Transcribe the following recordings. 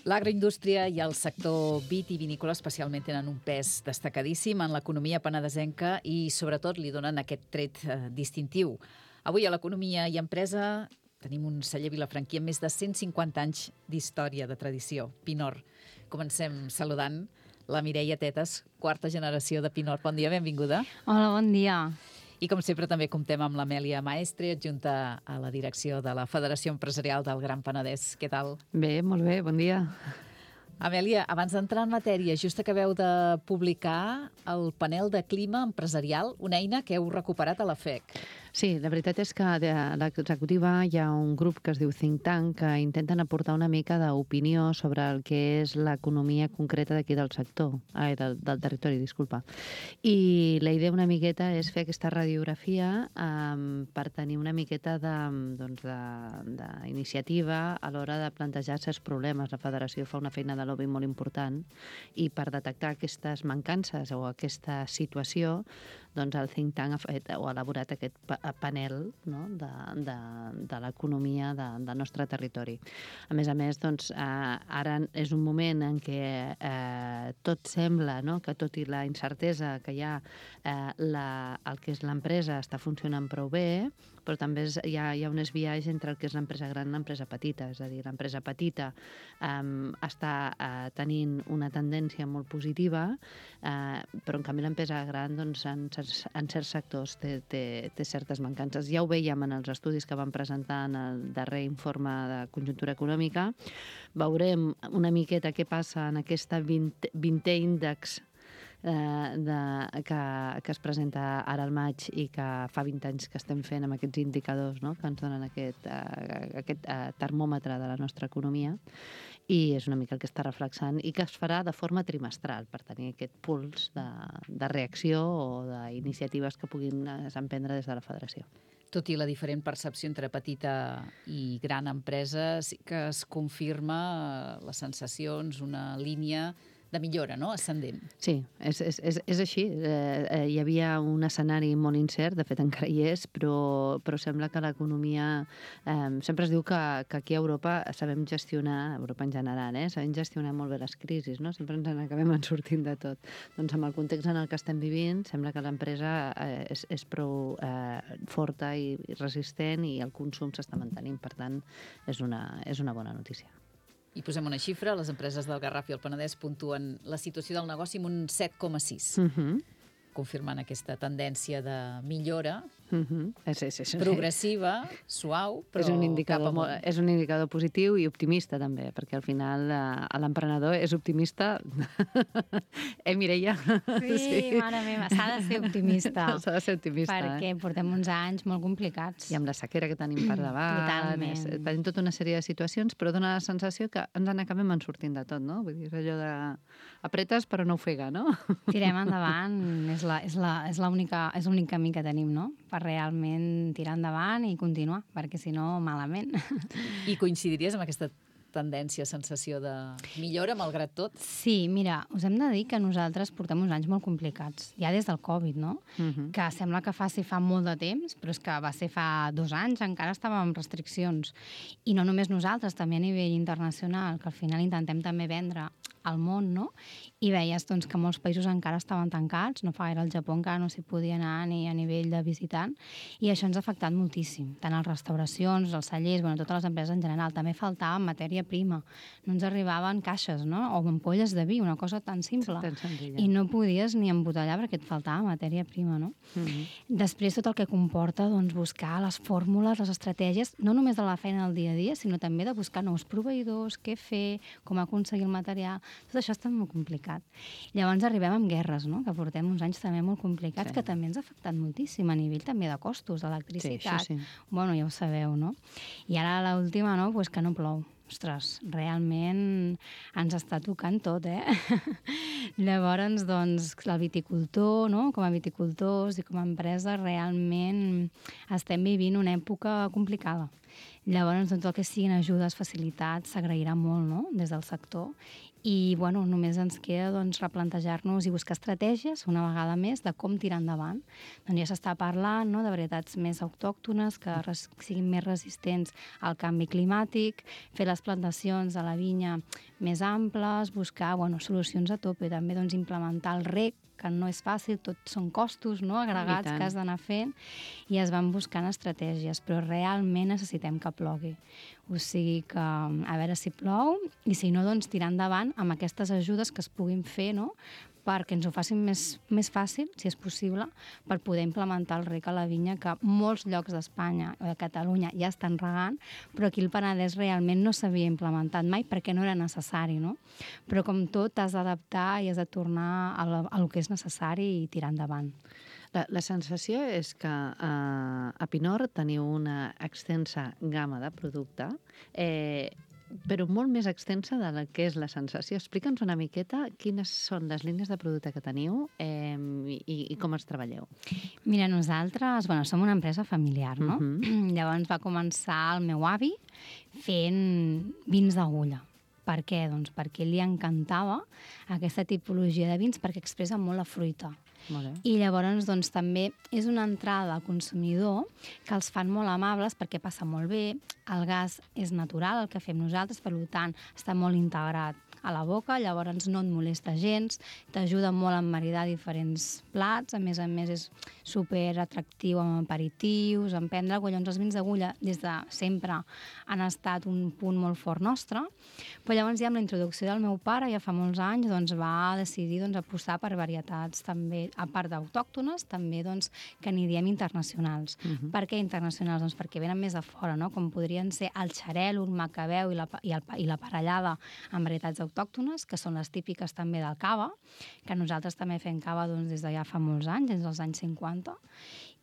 L'agroindústria i el sector vitivinícola especialment tenen un pes destacadíssim en l'economia penedesenca i sobretot li donen aquest tret distintiu. Avui a l'Economia i Empresa tenim un celler vilafranquí amb més de 150 anys d'història, de tradició, Pinort. Comencem saludant la Mireia Tetes, quarta generació de Pinort. Bon dia, benvinguda. Hola, bon dia. I com sempre també comptem amb l'Amèlia Maestre, adjunta a la direcció de la Federació Empresarial del Gran Penedès. Què tal? Bé, molt bé, bon dia. Amèlia, abans d'entrar en matèria, just acabeu de publicar el panel de clima empresarial, una eina que heu recuperat a la FEC. Sí, la veritat és que a l'executiva hi ha un grup que es diu Think Tank que intenten aportar una mica d'opinió sobre el que és l'economia concreta d'aquí del sector, del territori, disculpa. I la idea una miqueta és fer aquesta radiografia per tenir una miqueta d'iniciativa a l'hora de plantejar certs problemes. La federació fa una feina de lobby molt important i per detectar aquestes mancances o aquesta situació, doncs el Think Tank ha elaborat aquest panel, no?, de l'economia del nostre territori. A més, doncs, ara és un moment en què tot sembla, no?, que tot i la incertesa que hi ha, el que és l'empresa està funcionant prou bé, però també hi ha un esbiaix entre el que és l'empresa gran i l'empresa petita. És a dir, l'empresa petita està tenint una tendència molt positiva, però en canvi l'empresa gran, doncs, en certs sectors té certes mancances. Ja ho veiem en els estudis que van presentar en el darrer informe de conjuntura econòmica. Veurem una miqueta què passa en aquesta 20è índex que es presenta ara al maig i que fa 20 anys que estem fent amb aquests indicadors, no?, que ens donen aquest termòmetre de la nostra economia, i és una mica el que està reflexant i que es farà de forma trimestral per tenir aquest puls de reacció o d'iniciatives que puguin emprendre des de la federació. Tot i la diferent percepció entre petita i gran empresa, sí que es confirma les sensacions, una línia de millora, no?, ascendent. Sí, és així. Hi havia un escenari molt incert, de fet encara hi és, però sembla que l'economia... sempre es diu que aquí a Europa sabem gestionar, Europa en general, sabem gestionar molt bé les crisis, no? Sempre ens n'acabem sortint de tot. Doncs amb el context en el que estem vivint, sembla que l'empresa és prou forta i resistent i el consum s'està mantenint. Per tant, és una bona notícia. I posem una xifra, les empreses del Garraf i el Penedès puntuen la situació del negoci amb un 7,6. Confirmant aquesta tendència de millora progressiva, suau, però cap amunt. És un indicador positiu i optimista també, perquè al final l'emprenedor és optimista. Mireia? Sí, mare meva, s'ha de ser optimista. S'ha de ser optimista, perquè portem uns anys molt complicats. I amb la sequera que tenim per davant. Totalment. Tenim tota una sèrie de situacions, però dona la sensació que ens n'acabem sortint de tot, no? Vull dir, és allò de apretes però no ofega, no? Tirem endavant, és l'únic camí que tenim, no?, per realment tirar endavant i continuar, perquè si no, malament. I coincidiries amb aquesta tendència, sensació de millora, malgrat tot? Sí, mira, us hem de dir que nosaltres portem uns anys molt complicats, ja des del Covid, no? Que sembla que fa molt de temps, però és que va ser fa 2 anys, encara estàvem amb restriccions. I no només nosaltres, també a nivell internacional, que al final intentem també vendre al món, no? I veies doncs, que molts països encara estaven tancats, no fa gaire al Japó encara no s'hi podia anar ni a nivell de visitant, i això ens ha afectat moltíssim, tant les restauracions, els cellers, totes les empreses en general. També faltava matèria prima, no ens arribaven caixes, no?, o ampolles de vi, una cosa tan simple, i no podies ni embotellar perquè et faltava matèria prima, no? Després tot el que comporta doncs, buscar les fórmules, les estratègies, no només de la feina del dia a dia, sinó també de buscar nous proveïdors, què fer, com aconseguir el material. Tot això està molt complicat. Llavors arribem amb guerres, no?, que portem uns anys també molt complicats, que també ens ha afectat moltíssim a nivell també de costos, d'electricitat. Sí. Bueno, ja ho sabeu, no? I ara l'última, no?, pues que no plou. Ostres, realment ens està tocant tot, Llavors, doncs, el viticultor, no?, com a viticultors i com a empresa, realment estem vivint una època complicada. Llavors, doncs, el que siguin ajudes, facilitats, s'agrairà molt, no?, des del sector. I, bueno, només ens queda, doncs, replantejar-nos i buscar estratègies, una vegada més, de com tirar endavant. Doncs ja s'està parlant, no?, de varietats més autòctones, que siguin més resistents al canvi climàtic, fer les plantacions de la vinya més amples, buscar, bueno, solucions a tope, també, doncs, implementar el reg, que no és fàcil, tot són costos, no?, agregats que has d'anar fent, i es van buscant estratègies, però realment necessitem que plogui. O sigui que, a veure si plou, i si no, doncs tirar endavant amb aquestes ajudes que es puguin fer, no?, perquè ens ho facin més fàcil, si és possible, per poder implementar el reg a la vinya, que molts llocs d'Espanya o de Catalunya ja estan regant, però aquí el Penedès realment no s'havia implementat mai perquè no era necessari, no? Però com tot, t'has d'adaptar i has de tornar a lo que és necessari i tirar endavant. La sensació és que a Pinort teniu una extensa gamma de producte, però molt més extensa de la que és la sensació. Explica'ns una miqueta quines són les línies de producte que teniu i com els treballeu. Mira, nosaltres, bueno, som una empresa familiar, no? Llavors va començar el meu avi fent vins d'agulla. Per què? Doncs perquè li encantava aquesta tipologia de vins perquè expressa molt la fruita. I llavors doncs, també és una entrada al consumidor que els fan molt amables perquè passa molt bé, el gas és natural, el que fem nosaltres, per tant està molt integrat a la boca, llavors no et molesta gens, t'ajuda molt a maridar diferents plats, a més és super atractiu amb aperitius, en prendre, llavors els vins d'agulla des de sempre han estat un punt molt fort nostre, però llavors ja amb la introducció del meu pare, ja fa molts anys, doncs va decidir apostar per varietats també, a part d'autòctones, també que n'hi diem internacionals. Per què internacionals? Doncs perquè venen més de fora, no? Com podrien ser el xarel, el macabeu i la parellada amb varietats autòctones, que són les típiques també del cava, que nosaltres també fem cava des de ja fa molts anys, des dels anys 50.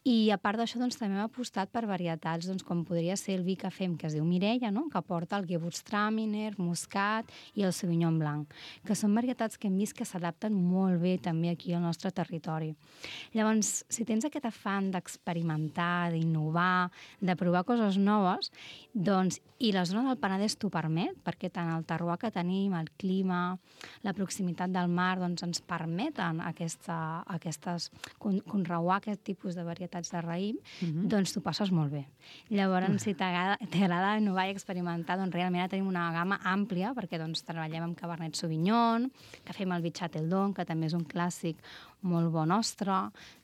I a part d'això també hem apostat per varietats com podria ser el vi que fem, que es diu Mireia, no?, que porta el Gewürztraminer, Muscat i el Sauvignon Blanc, que són varietats que hem vist que s'adapten molt bé també aquí al nostre territori. Llavors, si tens aquest afany d'experimentar, d'innovar, de provar coses noves, i la zona del Penedès t'ho permet, perquè tant el terroir que tenim, el clima, la proximitat del mar, ens permeten conreuar aquest tipus de varietats de raïm, doncs t'ho passes molt bé. Llavors, si t'agrada innovar i experimentar, realment ara tenim una gamma àmplia, perquè treballem amb Cabernet Sauvignon, que fem el vi Châteldon, que també és un clàssic molt bo nostre,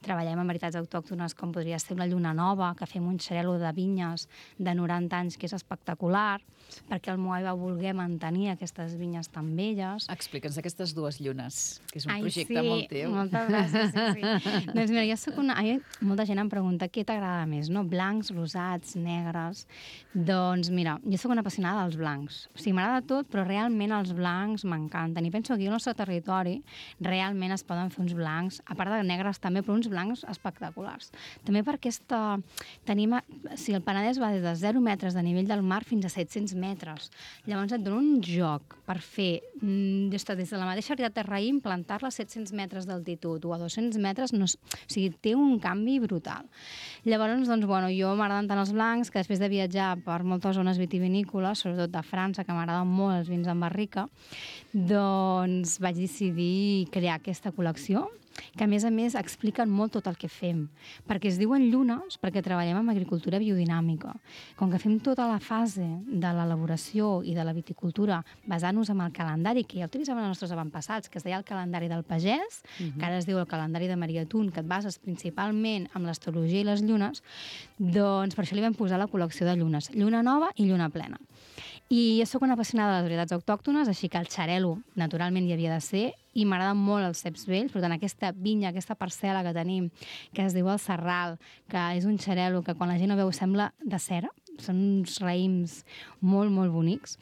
treballem amb varietats autòctones com podria ser una lluna nova, que fem un xarel·lo de vinyes de 90 anys que és espectacular, perquè el Moai va voler mantenir aquestes vinyes tan belles. Explica'ns aquestes dues llunes, que és un projecte molt teu. Moltes gràcies, sí. Doncs mira, jo soc molta gent em pregunta què t'agrada més, no? Blancs, rosats, negres... Doncs mira, jo soc una apassionada dels blancs. O sigui, m'agrada tot, però realment els blancs m'encanten. I penso que aquí al nostre territori realment es poden fer uns blancs, a part de negres també, però uns blancs espectaculars. També perquè el Penedès va des de 0 metres de nivell del mar fins a 700 metres. Llavors et dona un joc per fer des de la mateixa varietat de raïm, plantar-la a 700 metres d'altitud o a 200 metres, o sigui, té un canvi brutal. Llavors, jo m'agraden tant els blancs que després de viatjar per moltes zones vitivinícoles, sobretot de França, que m'agraden molt els vins en barrica, doncs vaig decidir crear aquesta col·lecció, que a més expliquen molt tot el que fem, perquè es diuen llunes perquè treballem amb agricultura biodinàmica. Com que fem tota la fase de l'elaboració i de la viticultura basant-nos en el calendari que ja utilitzaven els nostres avantpassats, que es deia el calendari del pagès, que ara es diu el calendari de Maria Tun, que et bases principalment en l'astrologia i les llunes, doncs per això li vam posar la col·lecció de llunes, lluna nova i lluna plena. I jo soc una apassionada de les varietats autòctones, així que el xarel·lo naturalment hi havia de ser, i m'agraden molt els ceps vells, per tant aquesta vinya, aquesta parcel·la que tenim, que es diu el Serral, que és un xarel·lo que quan la gent ho veu sembla de cera, són uns raïms molt, molt bonics,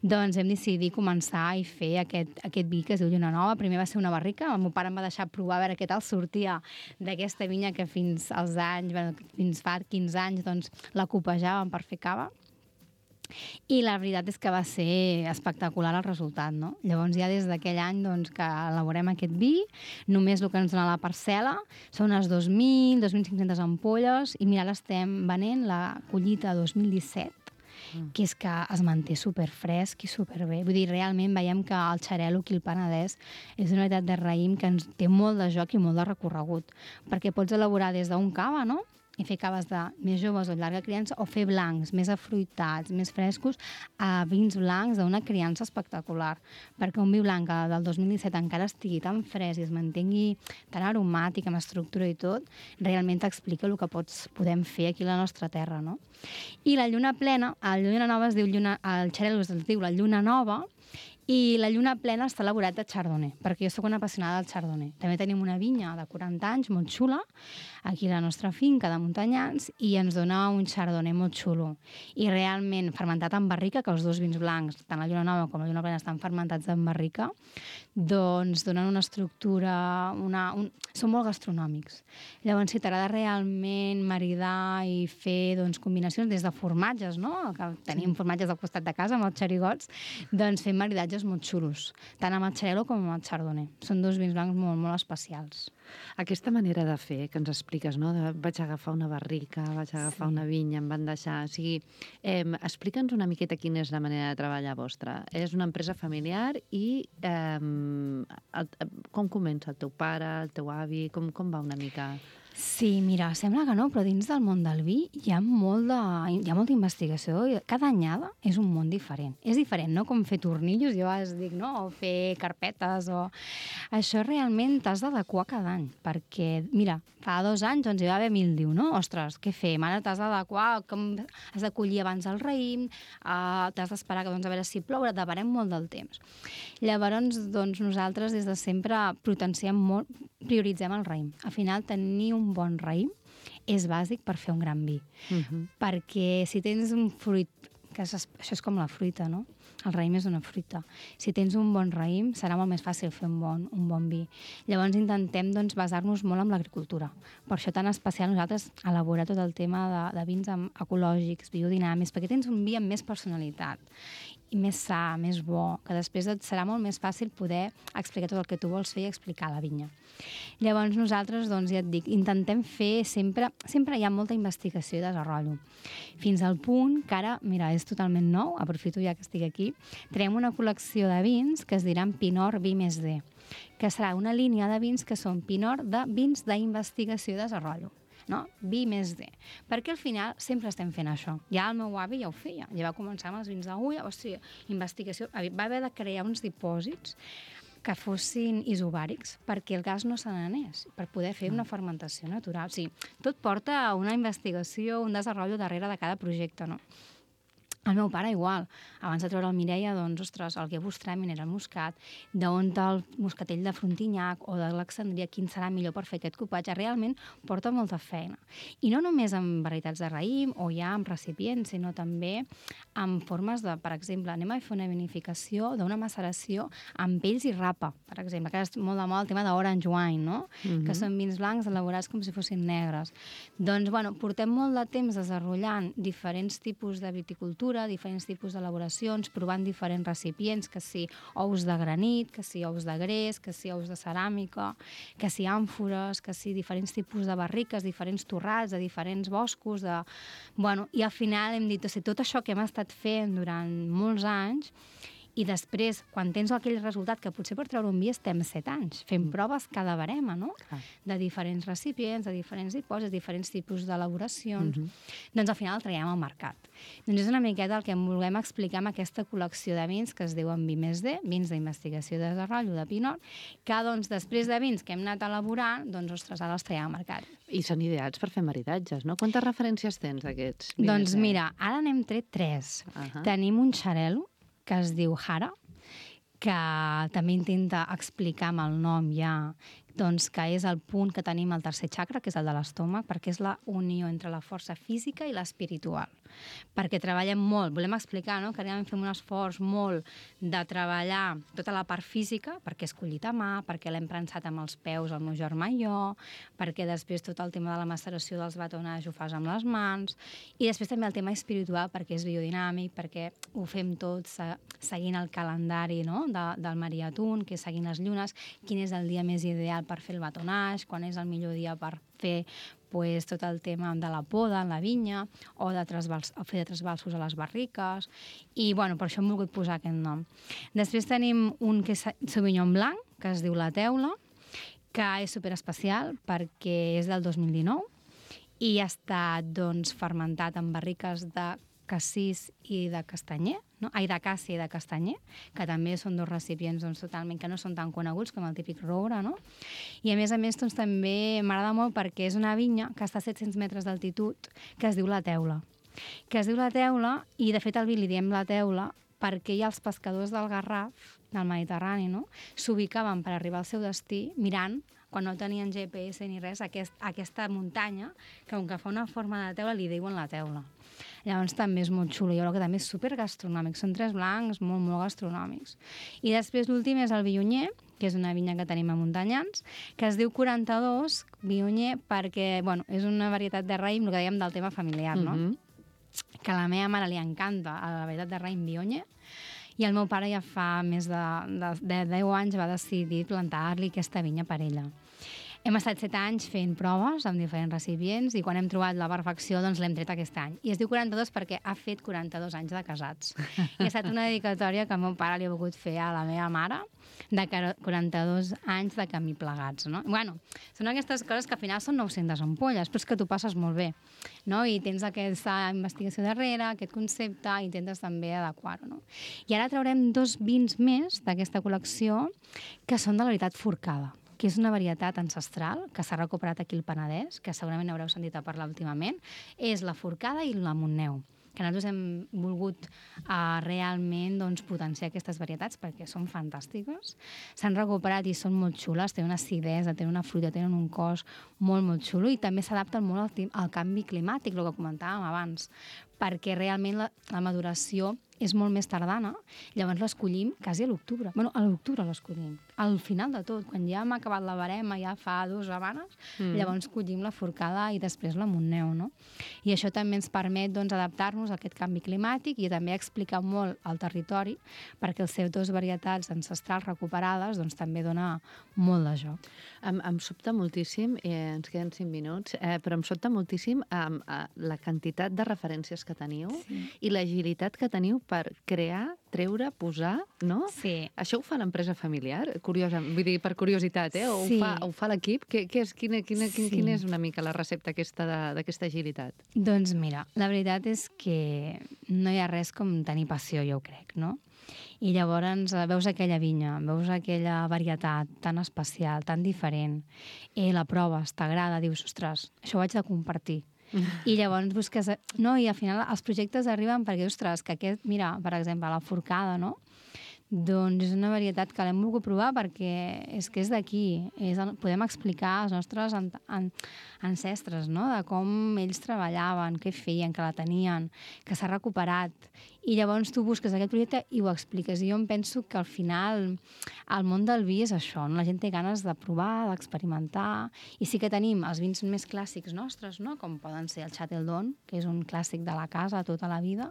doncs hem decidit començar i fer aquest vi que es diu Lluna Nova. Primer va ser una barrica, el meu pare em va deixar provar a veure què tal sortia d'aquesta vinya que fins fa 15 anys doncs, la copejàvem per fer cava. I la veritat és que va ser espectacular el resultat, no? Llavors ja des d'aquell any que elaborem aquest vi, només el que ens dona la parcel·la són unes 2.000, 2.500 ampolles, i mira, l'estem venent la collita 2017, que és que es manté superfresc i superbé. Vull dir, realment veiem que el xarel·lo aquí al Penedès és una varietat de raïm que ens té molt de joc i molt de recorregut, perquè pots elaborar des d'un cava, no?, i fer caves de més joves o llarga criança, o fer blancs més afruitats, més frescos, a vins blancs d'una criança espectacular. Perquè un vi blanc del 2017 encara estigui tan fresc i es mantengui tan aromàtic, amb estructura i tot, realment t'explica el que podem fer aquí a la nostra terra, no? I la lluna plena, la lluna nova es diu el xarel·lo es diu la lluna nova, i la lluna plena està elaborat de chardonnay, perquè jo sóc una apassionada del chardonnay. També tenim una vinya de 40 anys, molt xula, aquí a la nostra finca de muntanyans, i ens dona un chardonnay molt xulo. I realment, fermentat en barrica, que els dos vins blancs, tant la lluna nova com la lluna plena, estan fermentats en barrica, doncs donen una estructura, són molt gastronòmics. Llavors, si t'agrada realment maridar i fer combinacions des de formatges, no?, que tenim formatges al costat de casa amb els xerigots, doncs fem maridatges molt xulos, tant amb el xarel·lo com amb el chardonnay. Són dos vins blancs molt, molt especials. Aquesta manera de fer que ens expliques, no? Vaig agafar una barrica, vaig agafar una vinya, em van deixar... O sigui, explica'ns una miqueta quina és la manera de treballar vostra. És una empresa familiar i com comença el teu pare, el teu avi, com va una mica... Sí, mira, sembla que no, però dins del món del vi hi ha molta investigació. Cada anyada és un món diferent. És diferent, no?, com fer tornillos, jo a vegades dic, no?, o fer carpetes, o... Això realment t'has d'adequar cada any, perquè, mira, fa 2 anys doncs hi va haver mildiu, no? Ostres, què fem? Ara t'has d'adequar, com has de collir abans el raïm, t'has d'esperar que, a veure si plou, deparem molt del temps. Llavors, doncs, nosaltres des de sempre prioritzem el raïm. Al final, tenir un bon raïm és bàsic per fer un gran vi. Perquè si tens un fruit, que això és com la fruita, no? El raïm és una fruita. Si tens un bon raïm, serà molt més fàcil fer un bon vi. Llavors intentem basar-nos molt en l'agricultura. Per això tan especial nosaltres elaborar tot el tema de vins ecològics, biodinàmics, perquè tens un vi amb més personalitat i més sa, més bo, que després et serà molt més fàcil poder explicar tot el que tu vols fer i explicar a la vinya. Llavors nosaltres, doncs, ja et dic, intentem fer sempre hi ha molta investigació i desenvolupament. Fins al punt que ara, mira, és totalment nou, aprofito ja que estic aquí, traiem una col·lecció de vins que es diran Pinot Vi+D, que serà una línia de vins que són Pinot de vins d'investigació i desenvolupament. No? Vi+D. Perquè al final sempre estem fent això. Ja el meu avi ja ho feia. Ja va començar amb els vins d'agulla, investigació. Va haver de crear uns dipòsits que fossin isobàrics perquè el gas no se n'anés, per poder fer una fermentació natural. O sigui, tot porta a una investigació, un desenvolupament darrere de cada projecte, no? El meu pare igual. Abans de treure el Mireia, doncs, ostres, el Guia Bustrèmin era el moscat, d'on el moscatell de Frontignac o de l'Alexandria, quin serà millor per fer aquest cupatge, realment porta molta feina. I no només amb varietats de raïm o ja amb recipients, sinó també amb formes de, per exemple, anem a fer una vinificació d'una maceració amb pells i rapa, per exemple, que és molt de moda el tema d'orange wine, no? Que són vins blancs elaborats com si fossin negres. Doncs, bueno, portem molt de temps desenvolupant diferents tipus de viticultura, diferents tipus d'elaboracions, provant diferents recipients, que si ous de granit, que si ous de gres, que si ous de ceràmica, que si àmfores, que si diferents tipus de barriques, diferents torrats, de diferents boscos, i al final hem dit, o sigui, tot això que hem estat fent durant molts anys, i després, quan tens aquell resultat, que potser per treure un vi estem 7 anys, fent proves cada barema, no? De diferents recipients, de diferents dipòsits, diferents tipus d'elaboracions, doncs al final el traiem al mercat. Doncs és una miqueta el que volem explicar amb aquesta col·lecció de vins que es diuen Vi+D, vins d'investigació i desenvolupament de Pinot, que doncs després de vins que hem anat elaborant, doncs ostres, ara els traiem al mercat. I són ideats per fer maridatges, no? Quantes referències tens d'aquests? Doncs mira, ara n'hem tret 3. Tenim un xarel·lo que es diu Jara, que també intenta explicar amb el nom ja, doncs que és el punt que tenim al tercer chakra, que és el de l'estómac, perquè és la unió entre la força física i l'espiritual. Perquè treballem molt, volem explicar, no?, que realment fem un esforç molt de treballar tota la part física, perquè és collit a mà, perquè l'hem prensat amb els peus el meu germà i jo, perquè després tot el tema de la maceració dels batonats ho fas amb les mans, i després també el tema espiritual, perquè és biodinàmic, perquè ho fem tot seguint el calendari, no?, del Mariatún, que és seguint les llunes, quin és el dia més ideal per fer el batonatge, quan és el millor dia per fer pues, tot el tema de la poda en la vinya o de fer de trasbalsos a les barriques i bueno, per això hem volgut posar aquest nom. Després tenim un que és Sauvignon Blanc, que es diu La Teula, que és superespecial perquè és del 2019 i ha estat doncs, fermentat en barriques de cassís i de castanyer, no? D'acàcia i de castanyer, que també són dos recipients doncs, totalment que no són tan coneguts com el típic roure, no? I a més doncs, també m'agrada molt perquè és una vinya que està a 700 metres d'altitud, que es diu La Teula. I de fet al vi li diem La Teula perquè ja els pescadors del Garraf, del Mediterrani, no? S'ubicaven per arribar al seu destí mirant, quan no tenien GPS ni res, aquesta muntanya, que com que fa una forma de teula, li diuen La Teula. Llavors també és molt xulo, i que també és supergastronòmic, són 3 blancs molt, molt gastronòmics. I després l'últim és el Viognier, que és una vinya que tenim a Muntanyans, que es diu 42 Viognier perquè, bueno, és una varietat de raïm, el que dèiem del tema familiar, no? Que a la meva mare li encanta la varietat de raïm Viognier, i el meu pare ja fa més de 10 anys va decidir plantar-li aquesta vinya per ella. Hem estat 7 anys fent proves amb diferents recipients i quan hem trobat la perfecció doncs l'hem tret aquest any. I es diu 42 perquè ha fet 42 anys de casats. I ha estat una dedicatòria que el meu pare li ha volgut fer a la meva mare de 42 anys de camí plegats, no? Bueno, són aquestes coses que al final són 900 ampolles, però és que tu passes molt bé, no? I tens aquesta investigació darrere, aquest concepte, i intentes també adequar-ho, no? I ara traurem 2 vins més d'aquesta col·lecció que són de la varietat forcada, que és una varietat ancestral que s'ha recuperat aquí al Penedès, que segurament haureu sentit a parlar últimament, és la forcada i la Montneu, que nosaltres hem volgut realment doncs, potenciar aquestes varietats perquè són fantàstiques. S'han recuperat i són molt xules, tenen una acidesa, tenen una fruita, tenen un cos molt, molt xulo i també s'adapten molt al canvi climàtic, el que comentàvem abans, perquè realment la maduració és molt més tardana, llavors l'escollim quasi a l'octubre. Bueno, a l'octubre l'escollim, al final de tot, quan ja hem acabat la barema, ja fa 2 setmanes, llavors collim la forcada i després la Montneu, no? I això també ens permet doncs, adaptar-nos a aquest canvi climàtic i també explicar molt el territori, perquè els seus 2 varietats ancestrals recuperades doncs, també dona molt de joc. Em sobta moltíssim, ens queden 5 minuts, però em sobta moltíssim la quantitat de referències que teniu i l'agilitat que teniu per crear, treure, posar, no? Sí. Això ho fa l'empresa familiar? Curiosa, vull dir, per curiositat, o ho fa l'equip? Quina és una mica la recepta d'aquesta agilitat? Doncs mira, la veritat és que no hi ha res com tenir passió, jo crec, no? I llavors veus aquella vinya, veus aquella varietat tan especial, tan diferent, la proves, t'agrada, dius, ostres, això ho haig de compartir. I llavors busques... No, i al final els projectes arriben perquè, ostres, que aquest, mira, per exemple, la forcada, no? Doncs és una varietat que l'hem volgut provar perquè és que és d'aquí. Podem explicar als nostres ancestres, no?, de com ells treballaven, què feien, que la tenien, que s'ha recuperat. I llavors tu busques aquest projecte i ho expliques. I jo em penso que al final el món del vi és això, no? La gent té ganes de provar, d'experimentar, i sí que tenim els vins més clàssics nostres, no?, com poden ser el Châteldon, que és un clàssic de la casa tota la vida,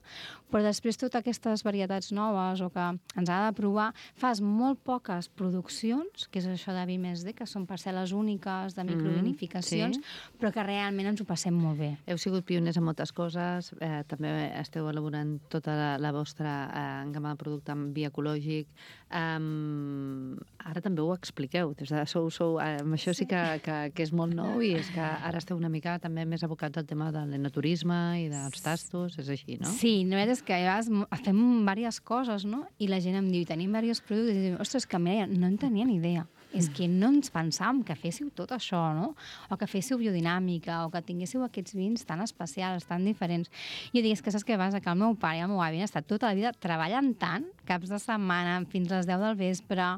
però després totes aquestes varietats noves o que ens ha de provar, fas molt poques produccions, que és això de vi més D, que són parcel·les úniques de microvinificacions, però que realment ens ho passem molt bé. Heu sigut pioners en moltes coses, també esteu elaborant tota la vostra gamma de producte amb vi ecològic. Ara també ho expliqueu. Això sí que és molt nou i és que ara esteu una mica també més abocats al tema de l'enoturisme i dels tastos, és així, no? Sí, la veritat és que fem diverses coses, no? I la gent em diu, tenim diversos productes, i diu, ostres, que no en tenia ni idea. És que no ens pensàvem que féssiu tot això, no? O que féssiu biodinàmica, o que tinguéssiu aquests vins tan especials, tan diferents. I jo dic, és que saps què passa? Que el meu pare i el meu avi han estat tota la vida treballant tant, caps de setmana, fins a les 10 del vespre,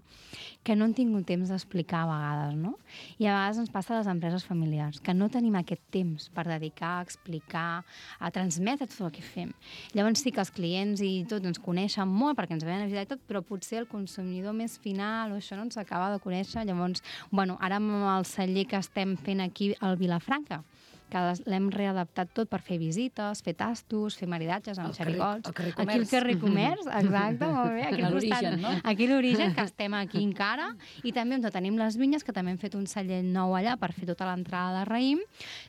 que no han tingut temps d'explicar a vegades, no? I a vegades ens passa a les empreses familiars, que no tenim aquest temps per dedicar, a explicar, a transmetre tot el que fem. Llavors sí que els clients i tot ens coneixen molt, perquè ens venen a visitar i tot, però potser el consumidor més final o això no ens acaba de conèixer. Llavors, bueno, ara amb el celler que estem fent aquí al Vilafranca, que l'hem readaptat tot per fer visites, fer tastos, fer maridatges amb xerigots. Aquí al carrer Comerç, exacte, molt bé. Aquí a l'origen, no? Aquí a l'origen, que estem aquí encara, i també on tenim les vinyes, que també hem fet un celler nou allà per fer tota l'entrada de raïm,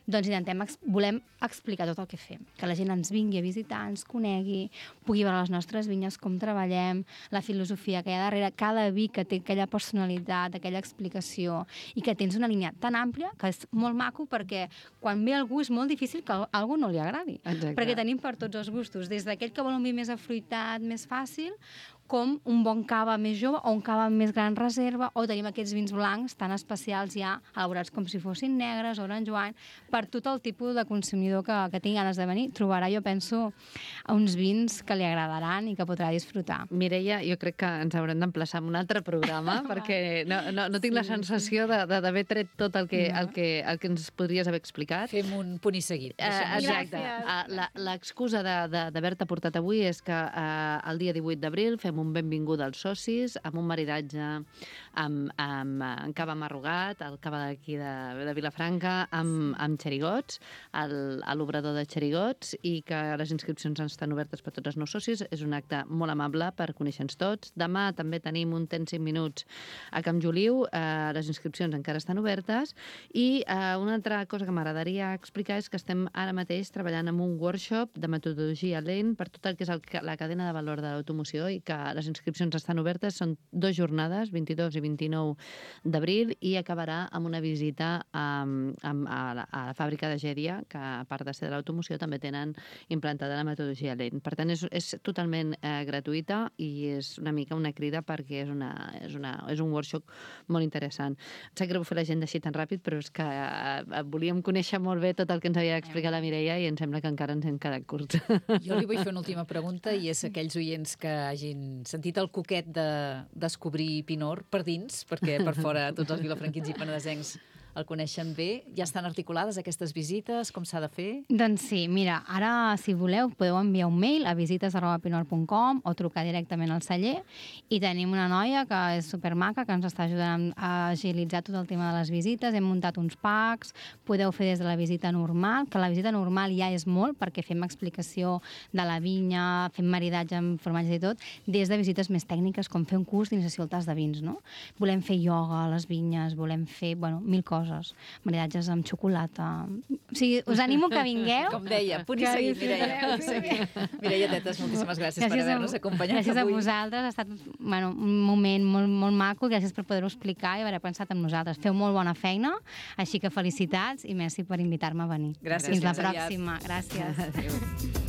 doncs volem explicar tot el que fem, que la gent ens vingui a visitar, ens conegui, pugui veure les nostres vinyes, com treballem, la filosofia que hi ha darrere, cada vi que té aquella personalitat, aquella explicació, i que tens una línia tan àmplia que és molt maco perquè quan ve algú és molt difícil que a algú no li agradi. Exacte. Perquè tenim per tots els gustos, des d'aquell que vol un vi més afruitat, més fàcil, com un bon cava més jove o un cava amb més gran reserva, o tenim aquests vins blancs tan especials ja, elaborats com si fossin negres, orange wine, per tot el tipus de consumidor que tingui ganes de venir. Trobarà, jo penso, uns vins que li agradaran i que podrà disfrutar. Mireia, jo crec que ens haurem d'emplaçar en un altre programa, perquè no tinc la sensació d'haver tret tot el que ens podries haver explicat. Fem un punt i seguit. Exacte. L'excusa d'haver-te portat avui és que el dia 18 d'abril fem un benvinguda als socis, amb un maridatge amb cava marrugat, el cava d'aquí de Vilafranca, amb xerigots, a l'obrador de xerigots, i que les inscripcions estan obertes per tots els nous socis. És un acte molt amable per conèixer-nos tots. Demà també tenim un temps 5 minuts a Camp Joliu, les inscripcions encara estan obertes, i una altra cosa que m'agradaria explicar és que estem ara mateix treballant en un workshop de metodologia Lean per tot el que és la cadena de valor de l'automoció, i que les inscripcions estan obertes. Són 2 jornades, 22 i 29 d'abril, i acabarà amb una visita a la fàbrica de Gèdia, que a part de ser de l'automoció també tenen implantada la metodologia Lean. Per tant, és totalment gratuïta i és una mica una crida perquè és un workshop molt interessant. Em sap greu fer l'agenda així tan ràpid, però és que volíem conèixer molt bé tot el que ens havia d'explicar la Mireia i em sembla que encara ens hem quedat curts. Jo li vull fer una última pregunta, i és aquells oients que hagin sentit el coquet de descobrir Pinort per dins, perquè per fora tots els vilafranquins i penedesencs el coneixen bé. Ja estan articulades aquestes visites? Com s'ha de fer? Doncs sí, mira, ara, si voleu, podeu enviar un mail a visites@pinort.com o trucar directament al celler, i tenim una noia que és supermaca, que ens està ajudant a agilitzar tot el tema de les visites. Hem muntat uns packs, podeu fer des de la visita normal, que la visita normal ja és molt, perquè fem explicació de la vinya, fem maridatge amb formatges i tot, des de visites més tècniques, com fer un curs d'iniciació al tas de vins, no? Volem fer ioga a les vinyes, volem fer, mil coses, maridatges amb xocolata. O sigui, us animo que vingueu. Com deia, punt i seguit, Mireia. Mireia Tetes, moltíssimes gràcies per haver-nos acompanyat avui. Gràcies a vosaltres, ha estat un moment molt maco, gràcies per poder-ho explicar i haver pensat en nosaltres. Feu molt bona feina, així que felicitats i merci per invitar-me a venir. Gràcies. Fins la pròxima. Gràcies. Adéu.